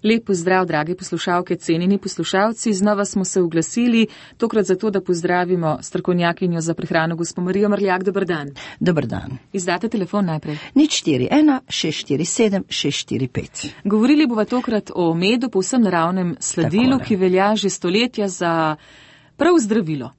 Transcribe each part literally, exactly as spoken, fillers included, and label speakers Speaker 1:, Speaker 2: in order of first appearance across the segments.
Speaker 1: Lep pozdrav, dragi poslušalke, cenjeni poslušalci. Znova smo se oglasili, tokrat zato, da pozdravimo strokovnjakinjo za prehrano gospo Marijo Mrljak. Dobar dan.
Speaker 2: Dobar dan.
Speaker 1: Izdate telefon najprej.
Speaker 2: nič štiri ena šest štiri sedem šest štiri pet.
Speaker 1: Govorili bova tokrat o medu, povsem naravnem sladilu,
Speaker 2: Takole.
Speaker 1: ki velja že stoletja za prav zdravilo.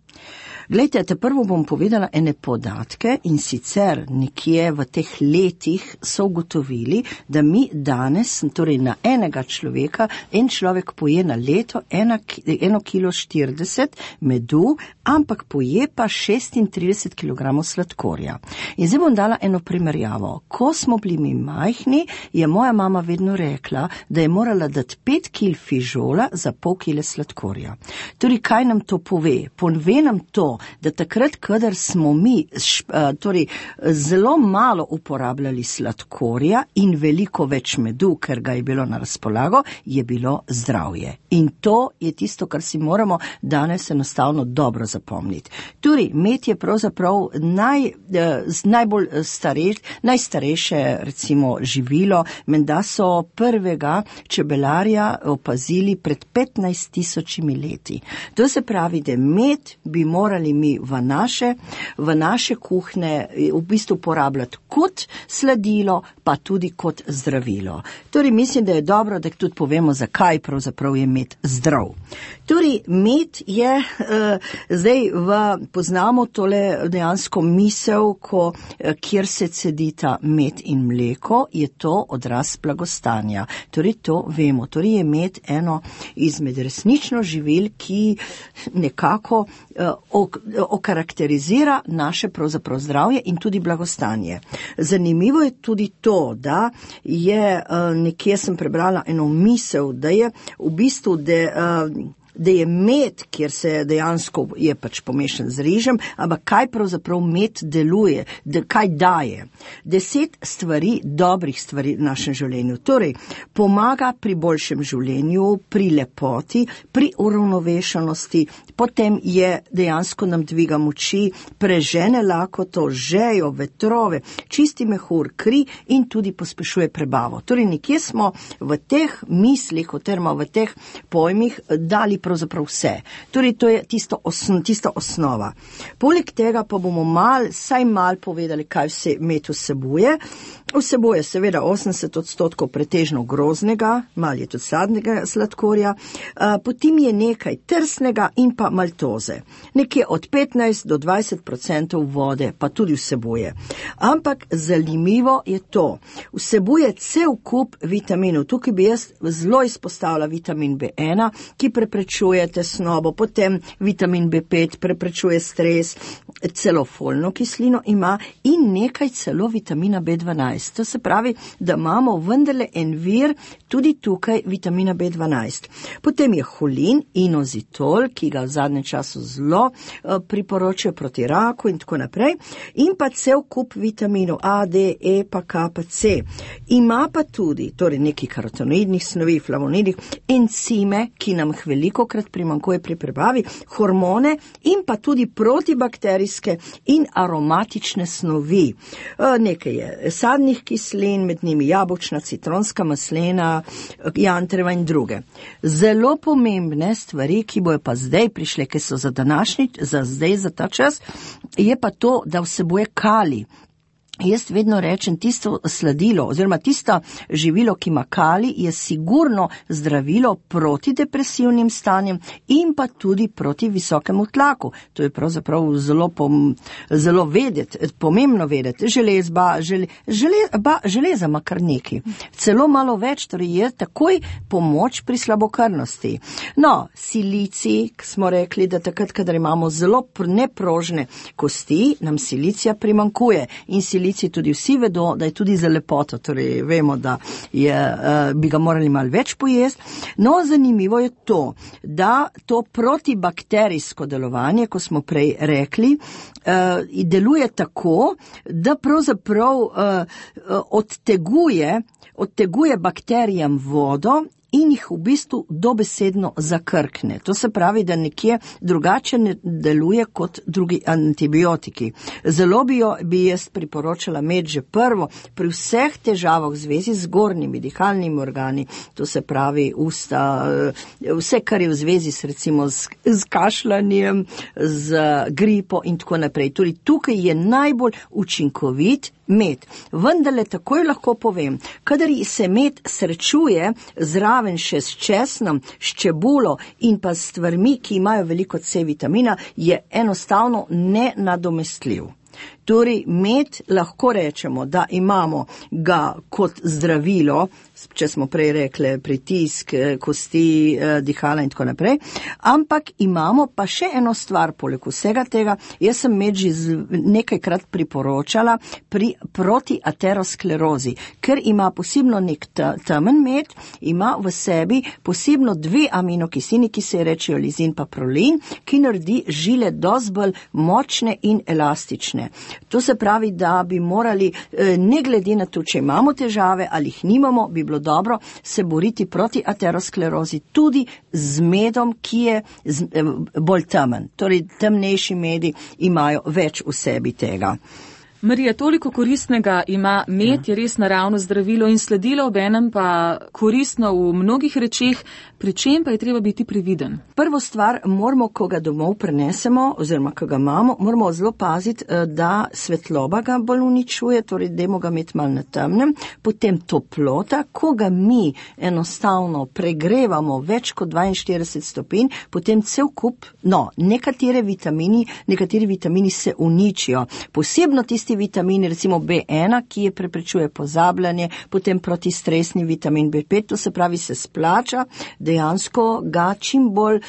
Speaker 2: Glejte, te prvo bom povedala ene podatke in sicer nekje v teh letih so ugotovili, da mi danes, torej na enega človeka, en človek poje na leto ena, eno kilo štirideset medu, ampak poje pa šestintrideset kilogramov sladkorja. In zdaj bom dala eno primerjavo. Ko smo bili mi majhni, je moja mama vedno rekla, da je morala dati pet kil fižola za pol kile sladkorja. Torej, kaj nam to pove? Pove nam to, da takrat, kadar smo mi torej, zelo malo uporabljali sladkorja in veliko več medu, ker ga je bilo na razpolago, je bilo zdravje. In to je tisto, kar si moramo danes enostavno dobro zapomniti. Torej, med je pravzaprav naj, najbolj stareč, najstarejše recimo živilo, menda so prvega čebelarja opazili pred petnajst tisočimi leti. To se pravi, da med bi morali mi v naše, v naše kuhne v bistvu uporabljati kot sladilo, pa tudi kot zdravilo. Torej, mislim, da je dobro, da tudi povemo, zakaj pravzaprav je med zdrav. Torej, med je, uh, zdaj v, poznamo tole dejansko misel, ko, kjer se cedita med in mleko, je to odraz blagostanja. Torej, to vemo. Torej, je med eno izmed resnično živil, ki nekako uh, ok, okarakterizira naše pravzaprav zdravje in tudi blagostanje. Zanimivo je tudi to, da je, uh, nekje sem prebrala eno misel, da je v bistvu, da uh, da je med, kjer se dejansko je pač pomešan z rižem, ampak kaj pravzaprav med deluje, da kaj daje. Deset stvari, dobrih stvari v našem življenju. Torej, pomaga pri boljšem življenju, pri lepoti, pri uravnovešenosti, potem je dejansko nam dviga moči, prežene lakoto, žejo, vetrove, čisti mehur, kri in tudi pospešuje prebavo. Torej, nekje smo v teh mislih, oziroma v teh pojmih dali pravzaprav vse. Torej, to je tisto osno, tista osnova. Poleg tega pa bomo mal, saj mal povedali, kaj vse med vsebuje. Vsebuje seveda osemdeset odstotkov pretežno grozdnega, mal je tudi sadnega sladkorja, potem je nekaj trsnega in pa maltoze. Nekje od petnajst do dvajset odstotkov vode pa tudi vsebuje. Ampak zanimivo je to. Vsebuje cel kup vitaminov. Tukaj bi jaz zelo izpostavila vitamin B ena, ki preprečuje tesnobo, potem vitamin B pet preprečuje stres, celo folno kislino ima in nekaj celo vitamina B dvanajst. To se pravi, da imamo vendarle en vir tudi tukaj vitamina B dvanajst. Potem je holin, inozitol, ki ga v zadnjem času zelo uh, priporočajo proti raku in tako naprej, in pa cel kup vitaminov A, D, E, pa K, pa C. Ima pa tudi, torej neki karotenoidnih snovi, flavonoidih, encime, ki nam veliko krat primanjkuje pri prebavi, hormone in pa tudi protibakterijske in aromatične snovi. Uh, nekaj je sadnih kislin, med njimi jabolčna, citronska, maslena, jantreva in druge. Zelo pomembne stvari, ki bojo pa zdaj prišle, ki so za današnji, za zdaj, za ta čas, je pa to, da vsebuje kalij. Jaz vedno rečem, tisto sladilo oziroma tisto živilo, ki ima kalij, je sigurno zdravilo proti depresivnim stanjem in pa tudi proti visokemu tlaku. To je pravzaprav zelo, pom, zelo vedeti, pomembno vedeti. Železba, žele, železba, železa ima kar neki. Celo malo več, torej je takoj pomoč pri slabokrvnosti. No, silicij, smo rekli, da takrat, kadar imamo zelo neprožne kosti, nam silicija primanjkuje in silicija tudi vsi vedo, da je tudi za lepoto, torej vemo, da je, uh, bi ga morali malo več pojesti. No, zanimivo je to, da to protibakterijsko delovanje, ko smo prej rekli, uh, deluje tako, da pravzaprav uh, odteguje, odteguje bakterijam vodo in jih v bistvu dobesedno zakrkne. To se pravi, da nekje drugače ne deluje kot drugi antibiotiki. Zelo bi, jo, bi jaz priporočala med že prvo pri vseh težavah v zvezi z zgornjimi dihalnimi organi, to se pravi usta, vse, kar je v zvezi s, recimo, z, z kašljanjem, z gripo in tako naprej. Tudi tukaj je najbolj učinkovit med. Vendarle takoj lahko povem, kadar se med srečuje zraven še s česnom, s čebulo in pa s stvarmi, ki imajo veliko C vitamina, je enostavno nenadomestljiv. Torej, med lahko rečemo, da imamo ga kot zdravilo, če smo prej rekli pritisk, kosti, dihala in tako naprej, ampak imamo pa še eno stvar poleg vsega tega. Jaz sem med že nekajkrat priporočala pri protiaterosklerozi, ker ima posebno nek temen med, ima v sebi posebno dve aminokislini, ki se rečejo lizin pa prolin, ki naredi žile dosti bolj močne in elastične. To se pravi, da bi morali, ne glede na to, če imamo težave ali jih nimamo, bi bilo dobro se boriti proti aterosklerozi tudi z medom, ki je bolj temen. Torej, temnejši medi imajo več v sebi tega.
Speaker 1: Marija, toliko koristnega ima med, je res naravno zdravilo in sledilo, obenem pa koristno v mnogih rečeh, pri čem pa je treba biti previden?
Speaker 2: Prvo stvar, moramo, ko ga domov prenesemo, oziroma ko ga imamo, moramo zelo paziti, da svetloba ga bolj uničuje, torej dajmo ga imeti malo na temnem, potem toplota, ko ga mi enostavno pregrevamo več kot dvainštirideset stopinj, potem cel kup, no, nekatere vitamini, nekateri vitamini se uničijo, posebno tisti vitamini, recimo B ena, ki je preprečuje pozabljanje, potem protistresni vitamin B pet, to se pravi, se splača, dejansko ga čim bolj,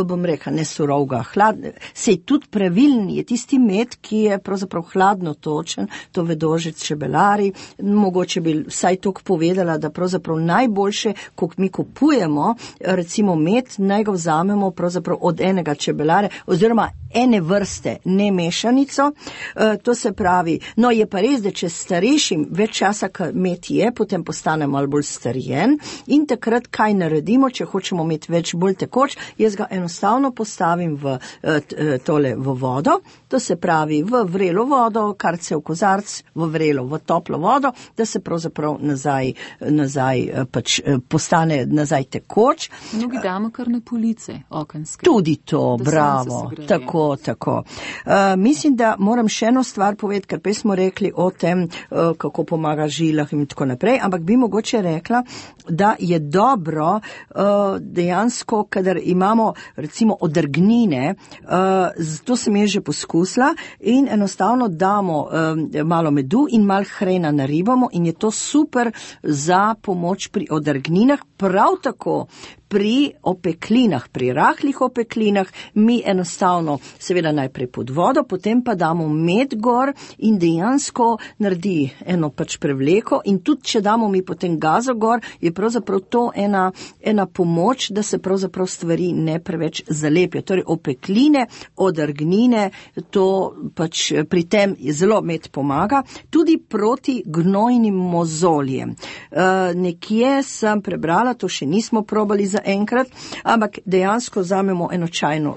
Speaker 2: bom rekla, ne surovga, hladne, sej tudi pravilen je tisti med, ki je pravzaprav hladno točen, to vedo že čebelari, mogoče bi vsaj toliko povedala, da pravzaprav najboljše, ko mi kupujemo, recimo med, naj ga vzamemo pravzaprav od enega čebelare, oziroma ene vrste, ne mešanico, e, to se pravi, no je pa res, da če starejšim več časa, kad med je, potem postane malo bolj starjen in takrat kaj naredimo, če hočemo imeti več bolj tekoč, jaz ga enostavno postavim v e, tole v vodo, to se pravi v vrelo vodo, kar se v kozarc, v vrelo, v toplo vodo, da se pravzaprav nazaj, nazaj pač postane nazaj tekoč.
Speaker 1: Mnogi damo kar na police okenske.
Speaker 2: Tudi to, bravo, tako. Tako. Uh, mislim, da moram še eno stvar povedati, ker prej smo rekli o tem, uh, kako pomaga žilah in tako naprej, ampak bi mogoče rekla, da je dobro uh, dejansko, kadar imamo recimo odrgnine, uh, to sem je že poskusila in enostavno damo um, malo medu in malo hrena naribamo in je to super za pomoč pri odrgninah, prav tako pri opeklinah, pri rahlih opeklinah, mi enostavno seveda najprej pod vodo, potem pa damo med gor in dejansko naredi eno pač prevleko in tudi, če damo mi potem gazo gor, je pravzaprav to ena, ena pomoč, da se pravzaprav stvari ne preveč zalepijo. Torej, opekline, odrgnine, to pač pri tem je zelo med pomaga, tudi proti gnojnim mozoljem. Uh, nekje sem prebrala, to še nismo probali za enkrat, ampak dejansko vzamemo eno čajno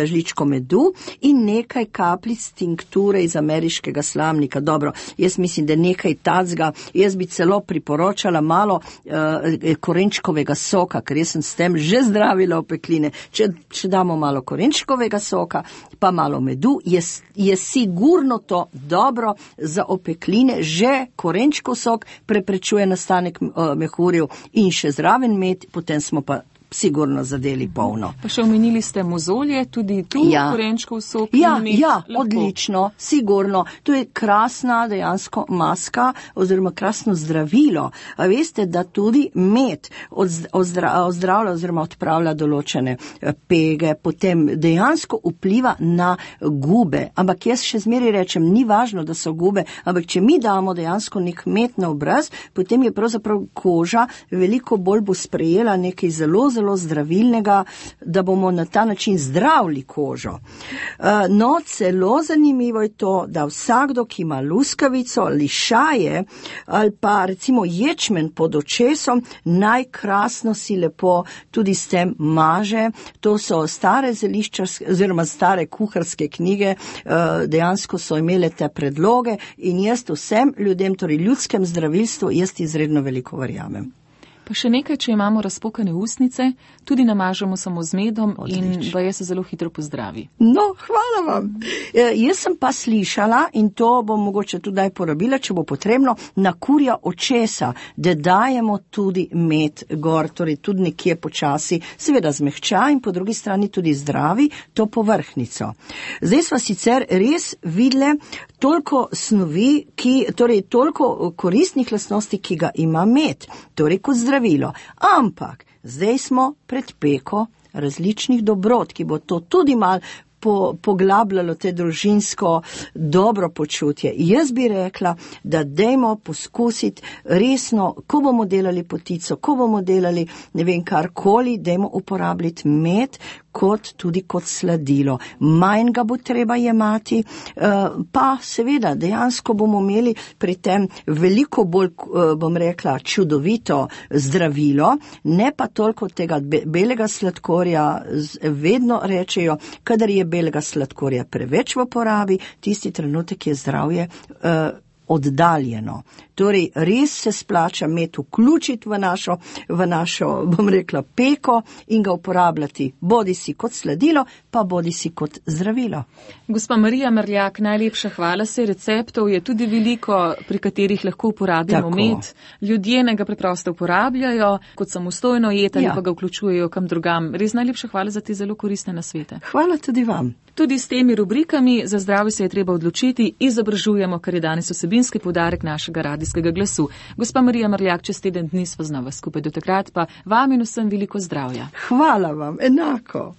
Speaker 2: žličko medu in nekaj kapljic tinkture iz ameriškega slamnika. Dobro, jaz mislim, da nekaj tacga, jaz bi celo priporočala malo uh, korenčkovega soka, ker jaz sem s tem že zdravila opekline. Če, če damo malo korenčkovega soka, pa malo medu, je, je sigurno to dobro za opekline. Že korenčkov sok preprečuje nastanek uh, mehurjev in še zraven med, potem smo pa sigurno zadeli polno.
Speaker 1: Pa še omenili ste mozolje, tudi tu ja. Korenčkov sok.
Speaker 2: Ja, ja, odlično, sigurno. To je krasna dejansko maska oziroma krasno zdravilo. A veste, da tudi med ozdra, ozdravlja oziroma odpravlja določene pege, potem dejansko vpliva na gube. Ampak jaz še zmeri rečem, ni važno, da so gube, ampak če mi damo dejansko nek med na obraz, potem je pravzaprav koža veliko bolj bo sprejela nekaj zelo, zelo zelo zdravilnega, da bomo na ta način zdravili kožo. No, celo zanimivo je to, da vsakdo, ki ima luskavico, lišaje ali pa recimo ječmen pod očesom, najkrasno si lepo tudi s tem maže. To so stare zeliščarske oziroma stare kuharske knjige, dejansko so imele te predloge in jaz vsem ljudem, torej ljudskem zdravilstvu, jaz izredno veliko verjamem.
Speaker 1: Pa še nekaj, če imamo razpokane ustnice, tudi namažemo samo z medom. Odlično. In baje se zelo hitro pozdravi.
Speaker 2: No, hvala vam. E, jaz sem pa slišala, in to bom mogoče tudi porabila, če bo potrebno, na kurja očesa, da dajemo tudi med gor, torej tudi nekje počasi, seveda zmehča in po drugi strani tudi zdravi to povrhnico. Zdaj sva sicer res videle toliko snovi, ki, torej toliko koristnih lastnosti, ki ga ima med, torej kot zdravilo. Ampak zdaj smo pred peko različnih dobrot, ki bo to tudi malo po, poglabljalo te družinsko dobro počutje. Jaz bi rekla, da dejmo poskusiti resno, ko bomo delali potico, ko bomo delali ne vem karkoli, dejmo uporabljati med kot tudi kot sladilo. Manj ga bo treba jemati, pa seveda dejansko bomo imeli pri tem veliko bolj, bom rekla, čudovito zdravilo, ne pa toliko tega belega sladkorja. Vedno rečejo, kadar je belega sladkorja preveč v porabi, tisti trenutek je zdravje uh, oddaljeno. Torej, res se splača med vključiti v našo, v našo, bom rekla, peko in ga uporabljati bodi si kot sladilo, pa bodi si kot zdravilo.
Speaker 1: Gospa Marija Merljak, najlepša hvala se. Receptov je tudi veliko, pri katerih lahko uporabimo Tako. med. Ljudje ne ga preprosto uporabljajo kot samostojno jed ali ja. pa ga vključujejo kam drugam. Res najlepša hvala za te zelo koristne nasvete.
Speaker 2: Hvala tudi vam.
Speaker 1: Tudi s temi rubrikami za zdravje se je treba odločiti, izobražujemo, kar je danes vsebinski poudarek našega radijskega glasu. Gospa Marija Merljak, čez teden dni sva znova skupaj, do takrat pa vam in vsem veliko zdravja.
Speaker 2: Hvala vam, enako.